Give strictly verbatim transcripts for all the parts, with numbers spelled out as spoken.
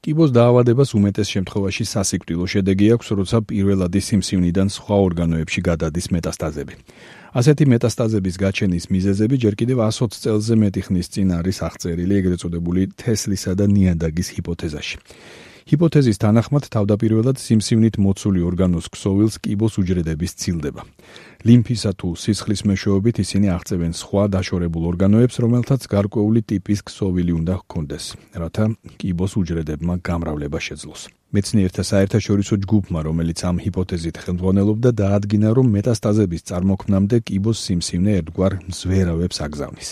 კიბოს დაავადებას უმეტეს შემთხვევაში სასიკვდილო შედეგი აქვს, როცა პირველადი სიმსივნიდან სხვა ორგანოებში გადადის მეტასტაზები. ასეთი მეტასტაზების გაჩენის მიზეზები ჯერ კიდევ ას ოცი წელზე მეტი ხნის წინ არის აღწერილი ეგრეთ წოდებული თესლისა და ნიადაგის ჰიპოთეზაში. ჰიპოთეზის თანახმად თავდაპირველად სიმსივნით მოცული ორგანოს ქსოვილს კიბოს უჯრედები სცილდება. ლიმფისა თუ სისხლის მეშვეობით ისინი აღწევენ სხვა დაშორებულ ორგანოებს, რომელთაც გარკვეული ტიპის ქსოვილი უნდა ჰქონდეს, რათა კიბოს უჯრედებმა გამრავლება შეძლოს. მეცნიერთა საერთაშორისო ჯგუფმა, რომელიც ამ ჰიპოთეზით ხელმძღვანელობდა, დაადგინა, რომ მეტასტაზების წარმოქმნამდე კიბოს სიმსივნე ერთგვარ მზვერავებს აგზავნის.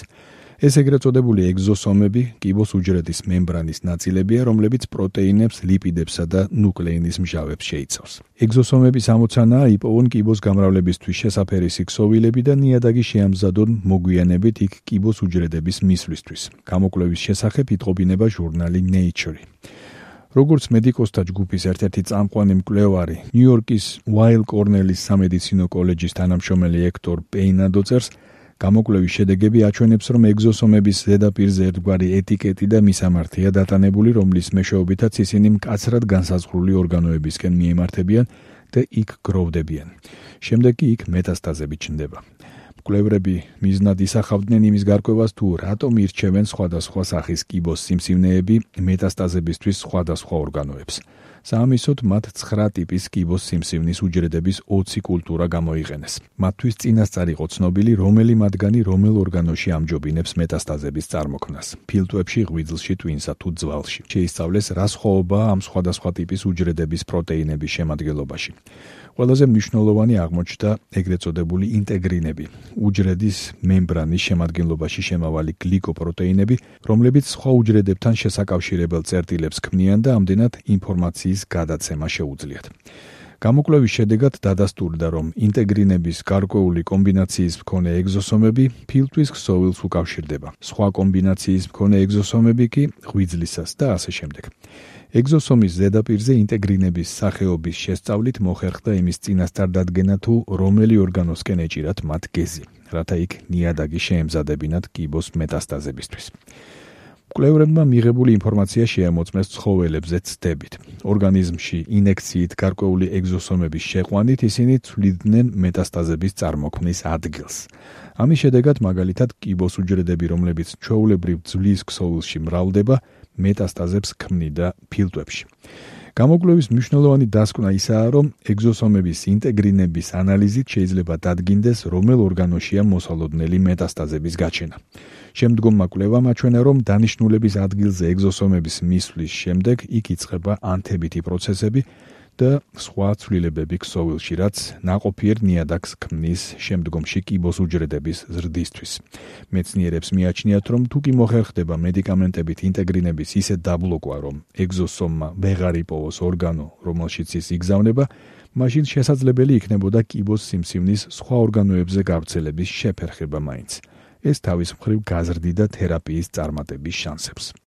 ეს ეგრეთ წოდებული ეგზოსომები კიბოს უჯრედის მემბრანის ნაწილებია, რომლებიც პროტეინებს, ლიპიდებსა და ნუკლეინის მჟავებს შეიცავს. ეგზოსომების ამოცანაა იპოვონ კიბოს გამრავლებისთვის შესაფერისი ქსოვილები და ნიადაგი შეამზადონ მოგვიანებით იქ კიბოს უჯრედების მისვლისთვის. გამოკვლევის შესახებ იტყობინება ჟურნალი Nature. როგორც მედიკოსთა ჯგუფის ერთ-ერთი წამყვანი მკვლევარი, ნიუ-იორკის Weill Cornell-ის სამედიცინო კოლეჯის თანამშრომელი ექტორ პეინადო წერს, გამოკვლევის შედეგები აჩვენებს, რომ ეგზოსომების ზედაპირზე ერთგვარი ეტიკეტი და მისამართია დატანებული, რომლის მეშვეობითაც ისინი მკაცრად განსაზღვრული ორგანოებისკენ მიემართებიან და იქ გროვდებიან. შემდეგ კი იქ მეტასტაზები ჩნდება. მკვლევრები მიზნად ისახავდნენ იმის გარკვევას, თუ რატომ ირჩევენ სხვადასხვა სახის კიბოს სიმსივნეები მეტასტაზებისთვის სხვადასხვა ორგანოებს. საამისოდ მათ ცხრა ტიპის კიბოს სიმსივნის უჯრედების ოცი კულტურა გამოიყენეს. მათთვის წინასწარ იყო ცნობილი, რომელი მათგანი რომელ ორგანოში ამჯობინებს მეტასტაზების წარმოქმნას. ფილტვებში, ღვიძლში, ტვინსა თუ ძვალში. შეისწავლეს, რა სხვაობაა ამ სხვადასხვა ტიპის უჯრედების პროტეინების შემადგენლობაში. ყველაზე მნიშვნელოვანი აღმოჩნდა ეგრეთ წოდებული ინტეგრინები, უჯრედის მემბრანის შემადგენლობაში შემავალი გლიკოპროტეინები, რომლებიც სხვა უჯრედებთან შესაკავშირებელ წერტილებს ქმნიან და ამდენად ინფორმაციის გადაცემა შეუძლიათ. გამოკვლევის შედეგად დადასტურდა, რომ ინტეგრინების გარკვეული კომბინაციის მქონე ეგზოსომები ფილტვის ქსოვილს უკავშირდება, სხვა კომბინაციის მქონე ეგზოსომები კი ღვიძლისას და ასე შემდეგ. ეგზოსომის ზედაპირზე ინტეგრინების სახეობის შესწავლით მოხერხდა იმის წინასწარ დადგენა, თუ რომელი ორგანოსკენ ეჭირათ მათ გეზი, რათა იქ ნიადაგი შეემზადებინათ კიბოს მეტასტაზებისთვის. მკვლევრებმა მიღებული ინფორმაცია შეამოწმეს ცხოველებზე ცდებით. ორგანიზმში ინექციით გარკვეული ეგზოსომების შეყვანით ისინი ცვლიდნენ მეტასტაზების წარმოქმნის ადგილს. ამის შედეგად მაგალითად კიბოს უჯრედები, რომლებიც ჩვეულებრივ ძვლის ქსოვილში მრავლდება, მეტასტაზებს ქმნიდა ფილტვებში. გამოკვლევის მნიშვნელოვანი დასკვნა ისაა, რომ ეგზოსომების ინტეგრინების ანალიზით შეიძლება დადგინდეს, რომელ ორგანოშია მოსალოდნელი მეტასტაზების გაჩენა. შემდგომმა კვლევამ აჩვენა, რომ დანიშნულების ადგილზე ეგზოსომების მისვლის შემდეგ იქ იწყება ანთებითი პროცესები და სხვა ცვლილებები ქსოვილში, რაც ნაყოფიერ ნიადაგს ქმნის შემდგომში კიბოს უჯრედების ზრდისთვის. მეცნიერებს მიაჩნიათ, რომ თუ კი მოხერხდება მედიკამენტებით ინტეგრინების ისეთ დაბლოკვა, რომ ეგზოსომმა ვეღარ იპოვოს ორგანო, რომელშიც ის იგზავნება, მაშინ შესაძლებელი იქნებოდა კიბოს სიმსივნის სხვა ორგანოებზე გავრცელების შეფერხება მაინც. ეს თავის მხრივ გაზრდიდა თერაპიის წარმატების შანსებს.